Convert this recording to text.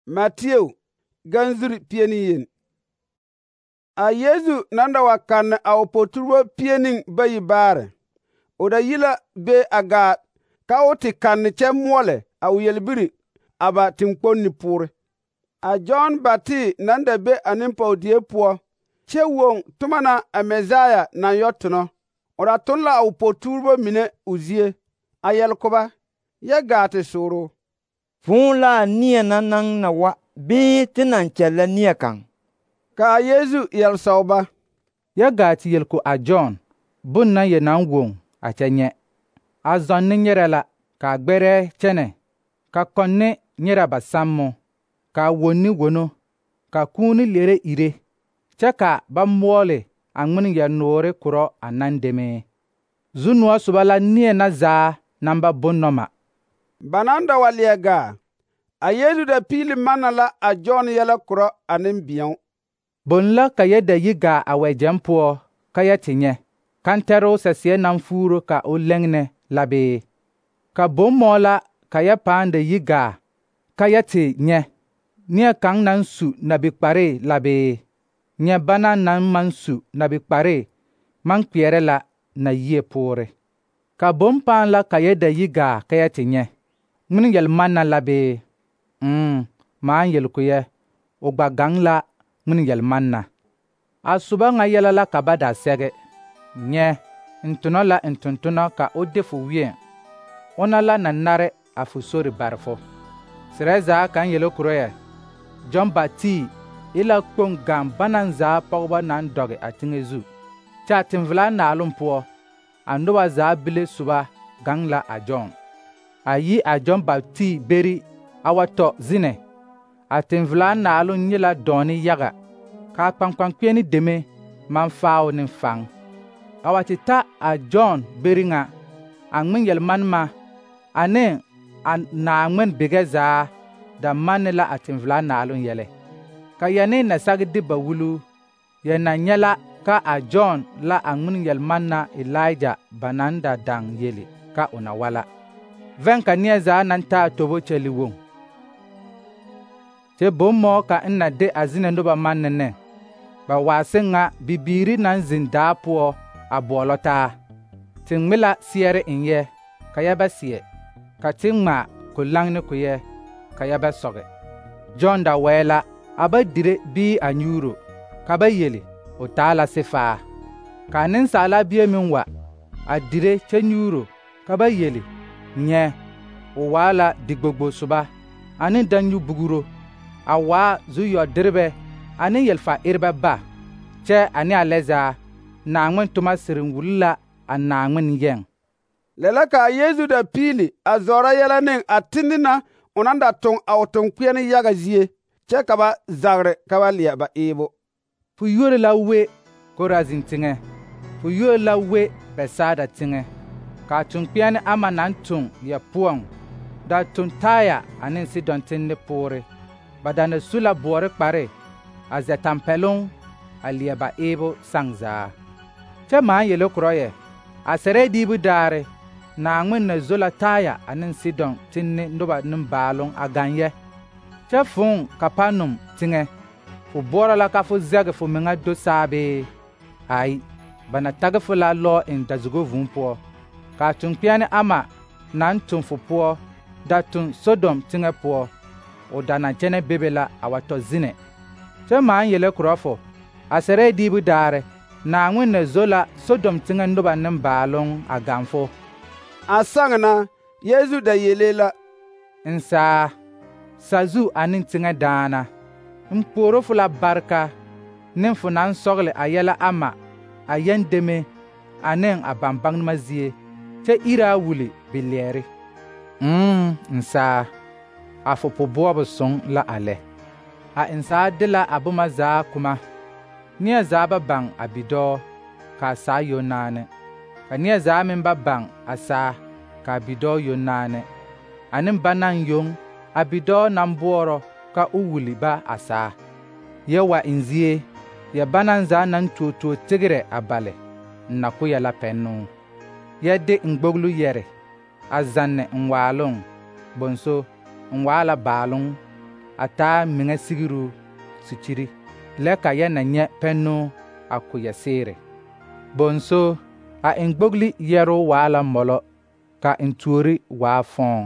Mateo ganzuri pieni. A Yesu nan da wa kanne a o poturbo pieni bayi baare. O da yi la be a gaa ka o te kanne kyɛ moɔle a o yelbiri a ba teŋkponni poore. A John Baptist nan da be a nempɔge die poɔ kyɛ woŋ toma na a Mesaya naŋ yɔ tonɔ. O da ton la a o poturbo mine o zie, a yɛle ko ba, yɛ gaa te sooro. Fõõ la a neɛ naŋ na wa, bɩɩ tɩ naŋ kyɛllɛ neɛ kaŋ? Ka a Yesu yɛle sɔg ba: Yɛ gaa te yel ko a John bon na yɛ naŋ woŋ a kyɛ nyɛ. A zɔnne nyɛrɛ la, ka gbɛrɛɛ kyɛnɛ, ka kɔnne nyɛrɛ ba sammo, ka wonni wono, ka kũuni lere ire, kyɛ ka ba moɔle a ŋmen yɛ-noore korɔ a nan deme. Zu-noɔ soba la neɛ na zaa naŋ ba bonnɔma. Ba nan da wa leɛ gaa, a Yesu da piili manna la a John yɛlɛ korɔ a nembēo. Bon la ka yɛ da yi gaa a wɛgyɛŋ poɔ ka yɛ te nyɛ, kantɛroo sɛseɛ naŋ fuuro ka o lɛŋnɛ la bee? Ka bommɔɔ la ka yɛ pãã da yi gaa ka yɛ te nyɛ, neɛ kaŋ naŋ su nabi-kparee la bee? Nyɛ bana naŋ maŋ su nabi-kparee maŋ kpeɛrɛ la na yie poore. Ka bom pãã la ka yɛ da yi gaa ka yɛ te nyɛ, ŋmen yel-manna la bee? Maaŋ yel ko yɛ, o gba gaŋ la ŋmen yel-manna. A soba ŋa yɛlɛ la ka ba da sɛge: nyɛ, n tonɔ la n tontonɔ ka o de fo wieŋ, ona la na nare a fo sori bare fo. Serɛ zaa kaŋ yele korɔ yɛ, John Baptist e la kpoŋ gaŋ banaŋ zaa pɔgebɔ naŋ dɔge a teŋɛ zu, kyɛ a teŋvelaa naaloŋ poɔ, a noba zaa bile soba gaŋ la a John. A yi a John Baptist beri a wa tɔ zinɛ. A teŋvelaa naaloŋ nye la dɔɔne yaga, ka a kpaŋkpakpeɛne deme maŋ faao ne faŋ. A wa te ta a John beri ŋa, a ŋmen yel-manema ane a Naaŋmen begɛ zaa da manne la a teŋvelaa naaloŋ yɛlɛ. Ka yɛ ne na sage de ba wulu, yɛ na nyɛ la ka a John la a ŋmen yel-manna Elija ba naŋ da daŋ yele ka o na wa la. Vɛŋ ka neɛ zaa naŋ taa tobo kyɛli woŋ. Kyɛ bommɔɔ ka n na de a zinɛ noba manne ne, ba waase ŋa bibiiri naŋ zeŋ daa poɔ a boɔlɔ taa. Te ŋme la seɛre eŋ yɛ, ka yɛ bɛ seɛ, ka te ŋmaa ko-laŋ ne ko yɛ, ka yɛ bɛ sɔge. John da wɛɛ la, a ba dire bii a nyuuro, ka ba yele, o taa la sefaa. Ka a Nensaala Bie meŋ wa, a dire kyɛ nyuuro, ka ba yele, nyɛ, o waa la digbogbo soba, ane danyu-bugiro, a waa zu-yɔ-derebɛ ane yelfa-erebɛ ba, kyɛ ane a lɛ zaa, Naaŋmen toma siriŋ wuli la a Naaŋmen yɛŋ. Lɛ la ka a Yesu da piili a zɔɔrɔ yɛlɛ ne a tindi na o naŋ da toŋ a o toŋkpeɛne yaga zie, kyɛ ka ba zagre ka ba leɛ ba eebo. Fo yuori la we Korazin teŋɛ, fo yuori la we Bɛtsaada teŋɛ. Ka a toŋkpeɛne ama naŋ toŋ yɛ poɔŋ da toŋ Taya ane Sidɔn tende poore. Ba da na su la boɔre kpare a zɛ tampɛloŋ a leɛ ba eebo saŋ zaa. Kyɛ maaŋ yele korɔ yɛ, a sɛrɛɛ diibu daare, Naaŋmen na zo la Taya ane Sidɔn tenne noba nembaaloŋ a gaŋ yɛ. Kyɛ fõõ Kapanum teŋɛ, fo boɔrɔ la ka fo zɛge fo meŋa do saa bee? Ai, ba na tage fo la lɔɔ eŋ dazugo vūū poɔ. Ka a toŋkpeɛne ama naŋ toŋ fo poɔ da toŋ Sodom teŋɛ poɔ, o da na kyɛnɛ bebe la a wa tɔ zinɛ. Kyɛ maaŋ yele korɔ fo, a sɛrɛɛ diibu daare, Naaŋmen na zo la Sodom teŋɛ noba nembaaloŋ a gaŋ fo. A saŋ na, Yesu da yelee la: N saa, sazu ane teŋɛ daana, n puoro fo la bareka ne fo naŋ sɔgele a yɛlɛ ama a yɛn deme ane a bambaŋnema zie, kyɛ iri a wuli bilɛɛre. N saa, a fo po-boɔbo soŋ la a lɛ. A n saa de la a boma zaa kuma. Neɛ zaa ba baŋ a bidɔɔ, ka a saa yoŋ naane. Ka neɛ zaa meŋ ba baŋ a saa, ka a bidɔɔ yoŋ naane. Ane banaŋ yoŋ a bidɔɔ naŋ boɔrɔ ka o wuli ba a saa. Yɛ wa n zie, yɛ banaŋ zaa naŋ tuo tigrɛ a bale, n na ko yɛ la pɛnnoo. Yɛ de n gboglo yɛre, a zanne n waaloŋ, bonso, n waa la baaloŋ, a taa meŋa sigiru sukyiri lɛ ka yɛ na nyɛ pɛnnu a ko yɛ seere. Bonso a engbogli yɛro waa la mɔlɔ ka entuori waa fɔɔŋ.